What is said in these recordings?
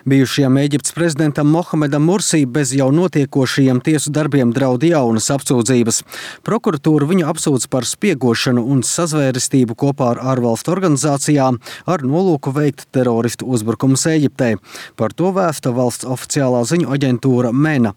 Bijušajam Ēģiptes prezidentam Mohamedam Mursī bez jau notiekošajiem tiesu darbiem draud jaunas apsūdzības. Prokuratūra viņu apsūdz par spiegošanu un sazvērestību kopā ar ārvalstu organizācijām ar nolūku veikt teroristu uzbrukumus Ēģiptē. Par to vēsta valsts oficiālā ziņu aģentūra MENA.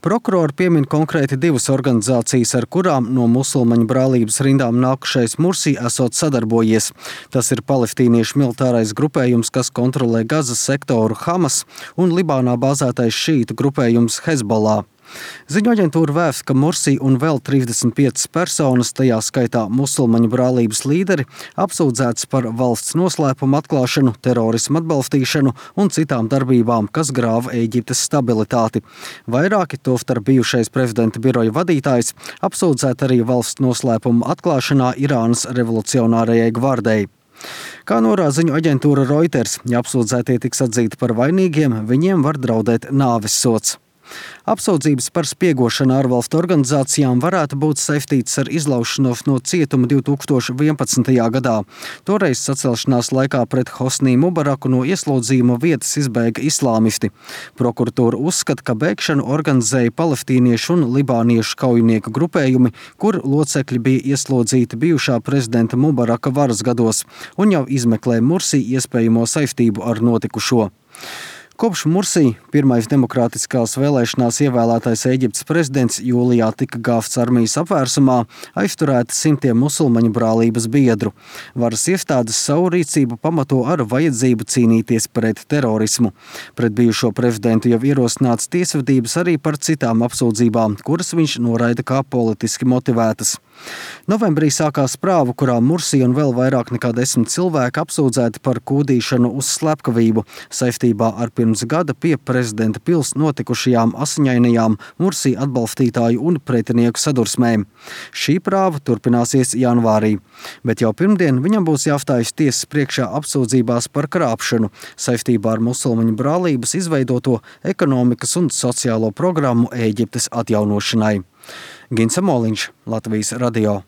Prokurori piemin konkrēti divas organizācijas, ar kurām no musulmaņu brālības rindām nākušais Mursī esot sadarbojies. Tas ir palestīniešu militārais grupējums, kas kontrolē Gazas sektoru Hamas, un Libānā bāzētais šītu grupējums Hezbollah. Ziņu aģentūra vēsta, ka Mursī un vēl 35 personas, tajā skaitā musulmaņu brālības līderi, apsūdzēts par valsts noslēpumu atklāšanu, terorismu atbalstīšanu un citām darbībām, kas grāva Ēģiptes stabilitāti. Vairāki, tostarp bijušais prezidenta biroja vadītājs, apsūdzēti arī valsts noslēpumu atklāšanā Irānas revolucionārajai gvardei. Kā norāda ziņu aģentūra Reuters, ja apsūdzētie tiks atzīti par vainīgiem, viņiem var draudēt nāves sods. Apsūdzības par spiegošanu ārvalstu organizācijām varētu būt saistītas ar izlaušanos no cietuma 2011. gadā. Toreiz sacelšanās laikā pret Hosnī Mubaraku no ieslodzījuma vietas izbēga islāmisti. Prokuratūra uzskata, ka bēgšanu organizēja palestīniešu un libāniešu kaujinieku grupējumi, kur locekļi bija ieslodzīti bijušā prezidenta Mubaraka varas gados un jau izmeklē Mursī iespējamo saistību ar notikušo. Kopš Mursī, pirmais demokrātiskās vēlēšanās ievēlētais Ēģiptes prezidents, jūlijā tika gāvts armijas apvērsumā, aizturēti simtiem musulmaņu brālības biedru. Varas iestādes savu rīcību pamato ar vajadzību cīnīties pret terorismu. Pret bijušo prezidentu jau ierosināts tiesvedības arī par citām apsūdzībām, kuras viņš noraida kā politiski motivētas. Novembrī sākās prāva, kurā Mursī un vēl vairāk nekā 10 cilvēki apsūdzēti par kūdīšanu uz slepkavību saistībā ar pirms gada pie prezidenta pils notikušajām asiņainajām Mursī atbalstītāju un pretinieku sadursmēm. Šī prāva turpināsies janvārī, bet jau pirmdien viņam būs jāstājas tiesas priekšā apsūdzībās par krāpšanu saistībā ar musulmaņu brālības izveidoto ekonomikas un sociālo programmu Ēģiptes atjaunošanai. Gins Amoliņš, Latvijas radio.